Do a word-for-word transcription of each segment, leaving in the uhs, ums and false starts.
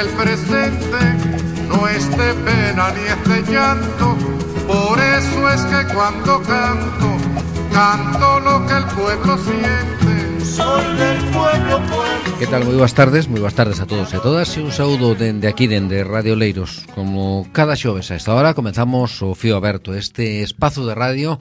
el presente no es de pena ni es de llanto, por eso es que cuando canto, canto lo que el pueblo siente. Soy del pueblo, pueblo. Que tal? Moi boas tardes, moi boas tardes a todos e a todas. E un saúdo dende aquí, dende Radio Leiros. Como cada xoves a esta hora comenzamos o Fío Aberto, este espazo de radio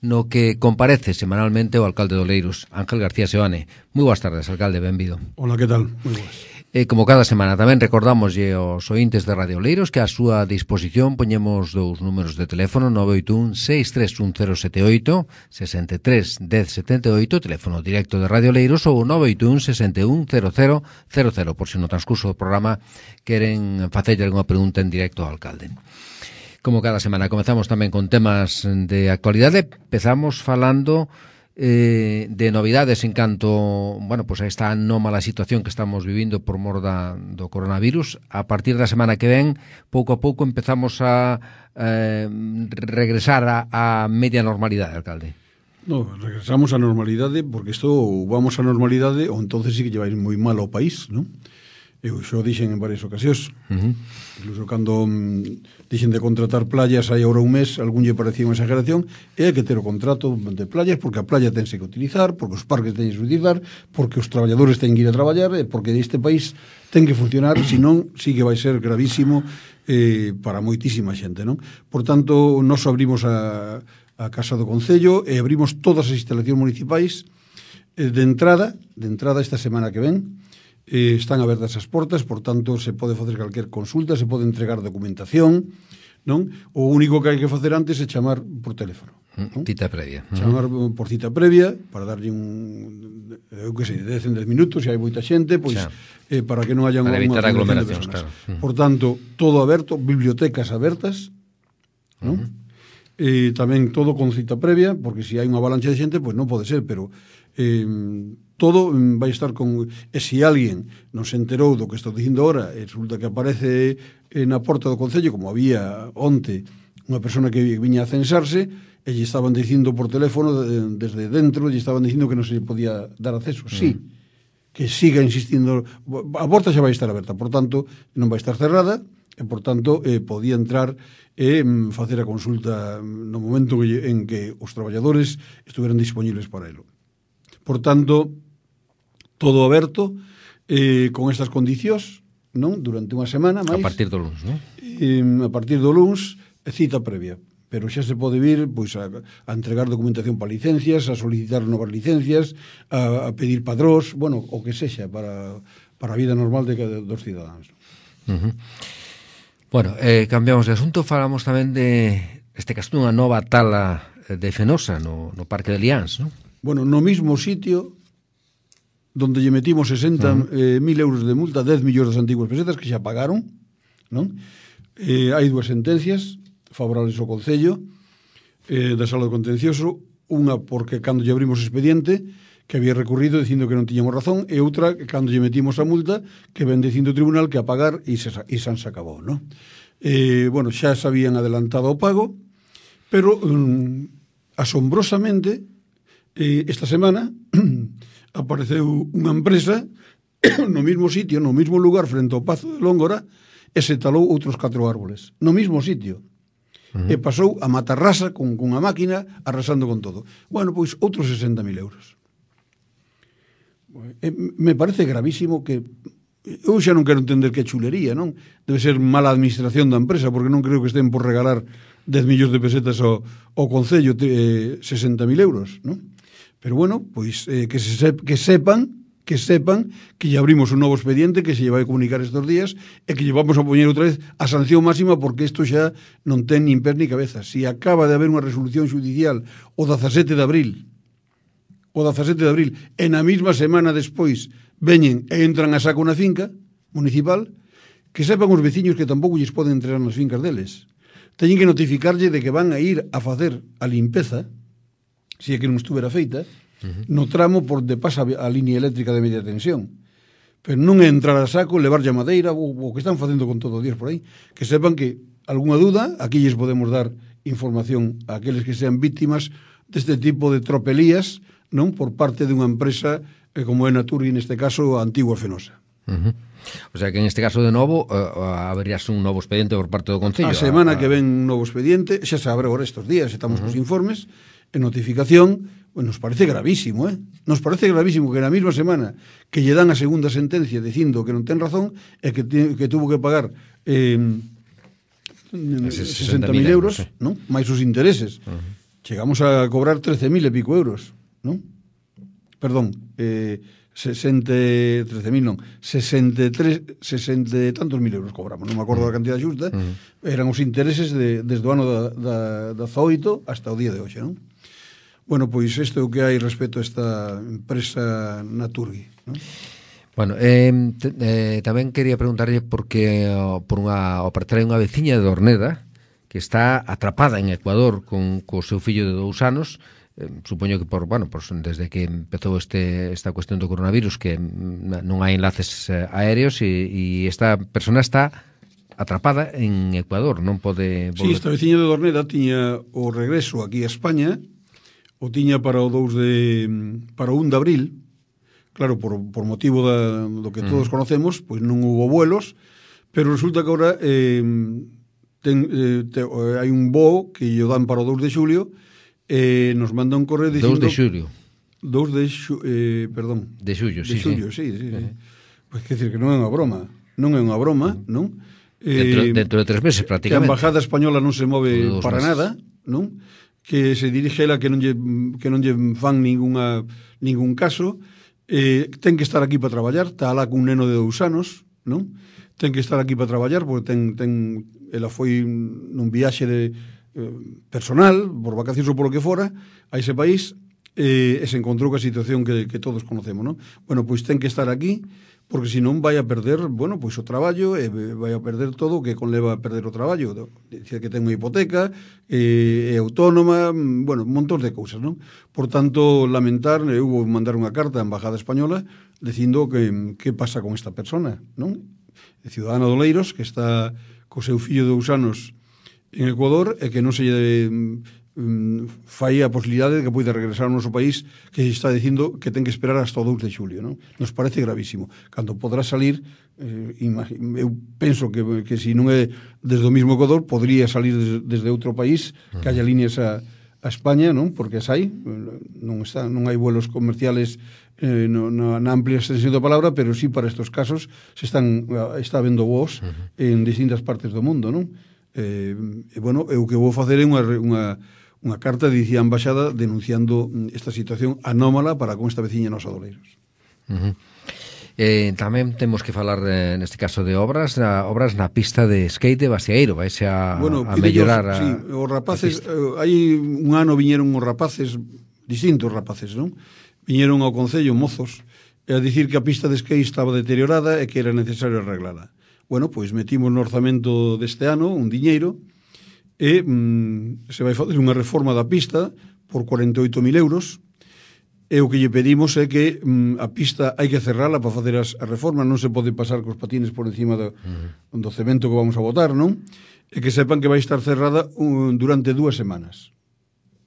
no que comparece semanalmente o alcalde do Leiros, Ángel García Seoane. Moi boas tardes, alcalde, benvido. Hola, que tal? Moi boas. E como cada semana tamén recordamoslle aos ointes de Radio Leiros que a súa disposición poñemos dous números de teléfono: nove oito un, seis tres un, cero sete oito, sesenta e tres, dez, setenta e oito, teléfono directo de Radio Leiros, ou nove oito un, sesenta e un, cero cero cero cero, por se no transcurso do programa queren facerlle algunha pregunta en directo ao alcalde. Como cada semana comezamos tamén con temas de actualidade. Empezamos falando eh, de novidades en canto, bueno, pues a esta anómala situación que estamos vivindo por mor da, do coronavirus. A partir da semana que ven, pouco a pouco empezamos a eh, regresar a, a media normalidade, alcalde. No, regresamos á normalidade porque isto vamos á normalidade ou entonces sí que lleváis moi mal ao país, non? Eu xo dixen en varias ocasións. Uh-huh. Incluso cando mm, dixen de contratar playas hai ahora un mes, algún lle parecía unha exageración, e hai que ter o contrato de playas porque a playa tense que utilizar, porque os parques teñen que utilizar, porque os traballadores teñen que ir a traballar, e porque este país ten que funcionar, senón sí que vai ser gravísimo eh, para moitísima xente, non? Por tanto, nos abrimos a, a Casa do Concello e abrimos todas as instalacións municipais eh, de entrada, de entrada esta semana que ven. Eh, están abertas as portas, por tanto se pode facer calquer consulta, se pode entregar documentación, non? O único que hai que facer antes é chamar por teléfono, non? Cita previa. Chamar por cita previa para darlle un, eu que sei, dez en dez minutos, se hai moita xente, pois eh, para que non haya para unha evitar aglomeracións, claro. Por tanto, todo aberto, bibliotecas abertas, non? Uh-huh. Eh, tamén todo con cita previa, porque se hai unha avalancha de xente, pois non pode ser, pero eh, todo vai estar con... E se alguén non se enterou do que estou dicindo ahora e resulta que aparece na porta do Concello, como había onte unha persona que viña a censarse e lle estaban dicindo por teléfono desde dentro, lle estaban dicindo que non se podía dar acceso. Sí, que siga insistindo. A porta xa vai estar aberta, por tanto non vai estar cerrada e por tanto eh, podía entrar e eh, facer a consulta no momento en que os traballadores estuveran disponibles para elo. Por tanto, todo aberto, eh, con estas condicións, non? Durante unha semana máis. A partir do luns, non? Eh, a partir do luns, cita previa. Pero xa se pode vir pois, a, a entregar documentación para licencias, a solicitar novas licencias, a, a pedir padrós, bueno, o que sexa para, para a vida normal de, de, dos cidadáns. Uh-huh. Bueno, eh, cambiamos de asunto, falamos tamén de, este caso, unha nova tala de Fenosa no, no Parque de Liáns, non? Bueno, no mismo sitio donde lle metimos sesenta mil uh-huh. euros de multa, dez millóns das antiguas pesetas que xa pagaron, non? Eh, hai dúas sentencias favorables ao Concello eh, da Sala do Contencioso, unha porque cando lle abrimos expediente que había recurrido dicindo que non tiñamos razón, e outra que cando lle metimos a multa que ven dicindo o tribunal que a pagar e se, e se se acabou, non? Eh, bueno, xa se habían adelantado o pago, pero um, asombrosamente eh, esta semana apareceu unha empresa no mismo sitio, no mismo lugar, frente ao Pazo de Lóngora, e se talou outros catro árboles. No mismo sitio. Uh-huh. E pasou a matarrasa con, con a máquina arrasando con todo. Bueno, pois outros sesenta mil euros. E me parece gravísimo que... Eu xa non quero entender que chulería, non? Debe ser mala administración da empresa, porque non creo que estén por regalar dez millóns de pesetas ao, ao Concello, eh, sesenta mil euros, non? Pero bueno, pois eh, que, se sep, que sepan que sepan que lle abrimos un novo expediente que se lle vai comunicar estes días e que lle vamos a poñer outra vez a sanción máxima, porque isto xa non ten nin pés ni cabeza. Si acaba de haber unha resolución judicial o dezasete de abril o dezasete de abril e na mesma semana despois veñen e entran a saco na finca municipal, que sepan os veciños que tampouco lles poden entrar nas fincas deles. Teñen que notificarlle de que van a ir a facer a limpeza, se é que non estuvera feita, uh-huh. no tramo por de pasa a línea eléctrica de media tensión. Pero non é entrar a saco, levar a madeira, o, o que están facendo con todo o días por aí. Que sepan que, algunha duda, aquí lles podemos dar información a aqueles que sean víctimas deste tipo de tropelías, non por parte dunha empresa eh, como é Naturgy, neste caso, a antigua Fenosa. Uh -huh. O sea que en este caso de novo uh, haberías un novo expediente por parte do Concello. A semana a, a... que ven un novo expediente, xa se abre agora estes días, estamos uh -huh. cos informes, en notificación, pues nos parece gravísimo, eh? Nos parece gravísimo que na mesma semana que lle dan a segunda sentencia dicindo que non ten razón e que, que tuvo que pagar eh, sesenta mil euros, sí. Non? Mais os intereses. Uh -huh. Chegamos a cobrar trece mil e pico euros, non? Perdón, eh, sesenta, trece mil non, sesenta e tres, sesenta e tantos mil euros cobramos, non me acordo da cantidad xusta, uh -huh. eran os intereses de, desde o ano da, da, da dezaoito hasta o día de hoxe, non? Bueno, pois isto é o que hai respecto a esta empresa Naturgy, non? Bueno, eh, te, eh, tamén quería preguntarlle porque oh, por unha, o partir hai unha veciña de Dorneda que está atrapada en Ecuador con co seu fillo de dous anos. Eh, supoño que por, bueno, pues desde que empezou este esta cuestión do coronavirus que non hai enlaces eh, aéreos e, e esta persona está atrapada en Ecuador, non pode volver. Sí, esta veciña de Dorneda tiña o regreso aquí a España, o tiña para o dous de para o un de abril. Claro, por, por motivo da, do que todos mm. conocemos, pois non hubo vuelos, pero resulta que agora eh, ten, eh, te, hai un voo que lle dan para o dous de xulio. Eh, nos manda un correo dicindo... dous de xulio. dous de xulio, eh, perdón. De xulio, sí, de xulio, sí. sí, sí, sí. Uh-huh. Pois que decir que non é unha broma. Non é unha broma, non? Dentro, Eh, dentro de tres meses, prácticamente. Que a Embajada Española non se move para meses. nada, non? Que se dirige ela que non lle, que non lle fan ninguna, ningún caso. Eh, ten que estar aquí para traballar. Está alá cun neno de dous anos, non? Ten que estar aquí para traballar, porque ten, ten, ela foi nun viaxe de personal, por vacacións ou por lo que fora, a ese país, eh, e se encontrou ca situación que, que todos conocemos, non? Bueno, pois ten que estar aquí, porque senón vai a perder, bueno, pois o traballo, e vai a perder todo o que conleva a perder o traballo. Dicir que ten unha hipoteca, eh, é autónoma, bueno, un montón de cousas, non? Por tanto, lamentar, eu vou mandar unha carta á Embajada Española dicindo que que pasa con esta persona, non? De Ciudadana de Oleiros, que está co seu fillo de dous anos en Ecuador e que non se lle um, fai a posibilidade de que poida regresar ao noso país, que se está dicindo que ten que esperar hasta o dous de xulio, non? Nos parece gravísimo. Cando podrá salir, eh, eu penso que, que se non é desde o mismo Ecuador, podría salir desde, desde outro país, que haya líneas a, a España, non? Porque as hai, non, está, non hai vuelos comerciales eh, no, no, na amplia extensión da palabra, pero sí para estos casos se están, está habendo voos en distintas partes do mundo, non? Eh, e, bueno, eu que vou facer é unha, unha, unha carta dicía a Embaixada denunciando esta situación anómala para con esta veciña nosa de Oleiros. Uh -huh. eh, tamén temos que falar eh, neste caso de obras na, obras na pista de skate de Bastiaeiro, vaise a, bueno, a mellorar a, sí, os rapaces, eh, hai un ano viñeron os rapaces, distintos rapaces, non? Viñeron ao Concello mozos a dicir que a pista de skate estaba deteriorada e que era necesario arreglala. Bueno, pois metimos no orzamento deste ano un diñeiro e mm, se vai facer unha reforma da pista por cuarenta e oito mil euros e o que lle pedimos é que mm, a pista hai que cerrala para facer as, as reformas, non se pode pasar cos patines por encima do, uh-huh. do cemento que vamos a botar, non? E que sepan que vai estar cerrada un, durante dúas semanas.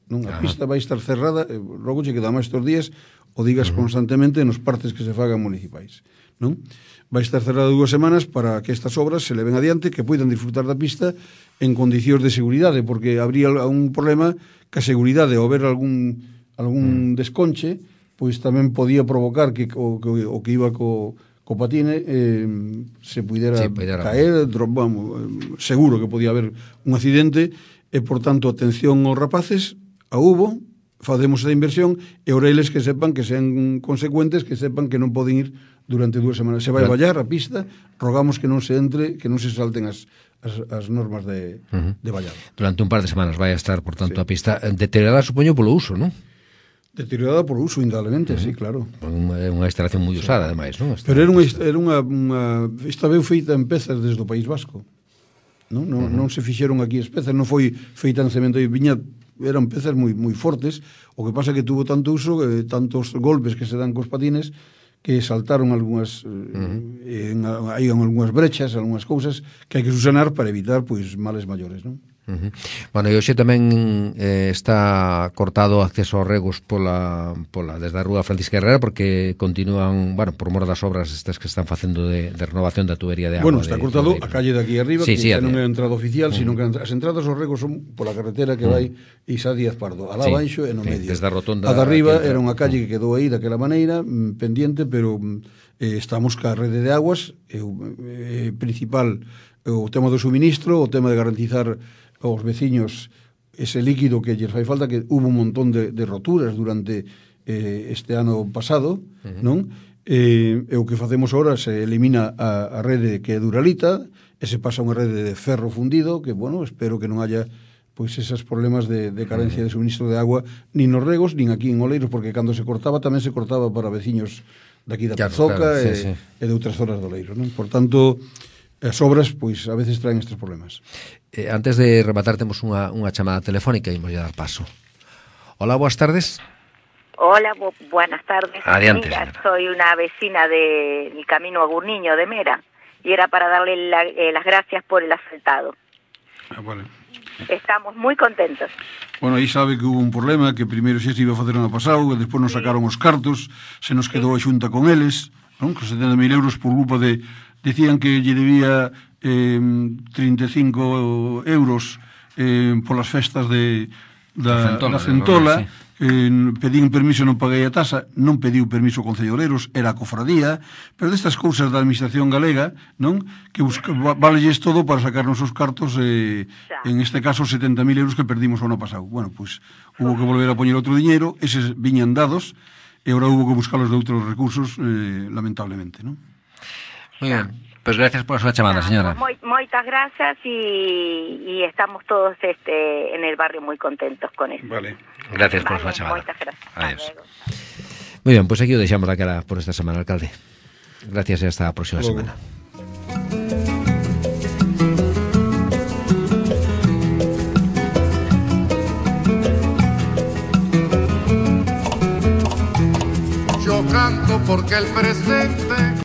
Non? A uh-huh. pista vai estar cerrada, eh, logo che queda máis estes días o digas uh-huh. constantemente nos partes que se fagan municipais, non? Vai estar cerrada dúas semanas para que estas obras se leven adiante, que poidan disfrutar da pista en condicións de seguridade, porque habría un problema que a seguridade, ao ver algún, algún desconche, pois tamén podía provocar que o que, o que iba co, co patine eh, se pudera sí, caer, vamos, seguro que podía haber un accidente, e, por tanto, atención aos rapaces, a hubo, facemos a inversión, e oreles que sepan que sean consecuentes, que sepan que non poden ir durante dúas semanas. Se vai vallar a pista, rogamos que non se entre, que non se salten as, as, as normas de, uh-huh. de vallar. Durante un par de semanas vai a estar, por tanto, sí. a pista deteriorada, supoño, polo uso, non? Deteriorada por uso, indudablemente, uh-huh. sí, claro. É unha instalación moi usada, sí. ademais, non? Esta Pero era unha, era unha, unha esta vez feita en pezas desde o País Vasco. Non, non, uh-huh. non se fixeron aquí as pezas, non foi feita en cemento e viña, eran pezas moi moi fortes. O que pasa que tuvo tanto uso, eh, tantos golpes que se dan cos patines, que saltaron algunhas uh-huh. eh, en, hai algunhas brechas, algunhas cousas que hai que subsanar para evitar pois males maiores, non? Uh -huh. Bueno, e hoxe tamén eh, está cortado o acceso aos regos pola, pola, desde a rúa Francisca Herrera, porque continúan, bueno, por mor das obras estas que están facendo de, de renovación da tubería de agua. Bueno, está de, cortado de, a calle de aquí arriba, sí, que sí, xa non é de... a entrada oficial, uh -huh. sino que as entradas aos regos son pola carretera que uh -huh. vai Isa Díaz Pardo, alá sí, baixo e no sí, medio. Desde a rotonda a de arriba era unha calle uh -huh. que quedou aí daquela maneira, pendiente, pero eh, estamos ca rede de aguas, eh, eh, principal o tema do suministro, o tema de garantizar aos veciños ese líquido que lles fai falta, que hubo un montón de, de roturas durante eh, este ano pasado, uh -huh. non? Eh, e o que facemos ahora se elimina a, a rede que é Duralita e se pasa a unha rede de ferro fundido, que, bueno, espero que non haya pois esos problemas de, de carencia de suministro de agua nin nos regos, nin aquí en Oleiros, porque cando se cortaba tamén se cortaba para veciños daqui da claro, Pazoca claro, sí, e, sí. e de outras zonas de Oleiros, non? Por tanto, as obras, pois, a veces traen estes problemas. Eh, antes de rematar, temos unha, unha chamada telefónica e imos a dar paso. Hola, boas tardes. Hola, bu buenas tardes. Adiante, Mira, soy una vecina del Camino a Gurniño de Mera y era para darle la, eh, las gracias por el asfaltado. Ah, vale. Estamos muy contentos. Bueno, aí sabe que hubo un problema, que primeiro xa se iba a facer ano pasado, e despois nos sacaron os cartos, se nos quedou a xunta con eles, non? Que setenta mil euros por culpa de... Decían que lle debía eh, trinta e cinco euros eh, polas festas de, da, da Centola, eh, pedín permiso, non paguei a tasa, non pediu permiso o Concello de Oleiros, era a cofradía, pero destas cousas da administración galega, non? Que busca, valelles todo para sacarnos os cartos, eh, en este caso setenta mil euros que perdimos o ano pasado. Bueno, pois, pues, hubo que volver a poñer outro diñeiro, eses viñan dados, e agora hubo que buscalos de outros recursos, eh, lamentablemente, non? Muy bien, pues gracias por su llamada, señora. Muy, muchas gracias y, y estamos todos este en el barrio muy contentos con eso. Vale. Gracias vale, por su llamada. Muchas gracias. Adiós. Muy bien, pues aquí lo dejamos la cara por esta semana, alcalde. Gracias y hasta la próxima Luego. semana. Yo canto porque el presente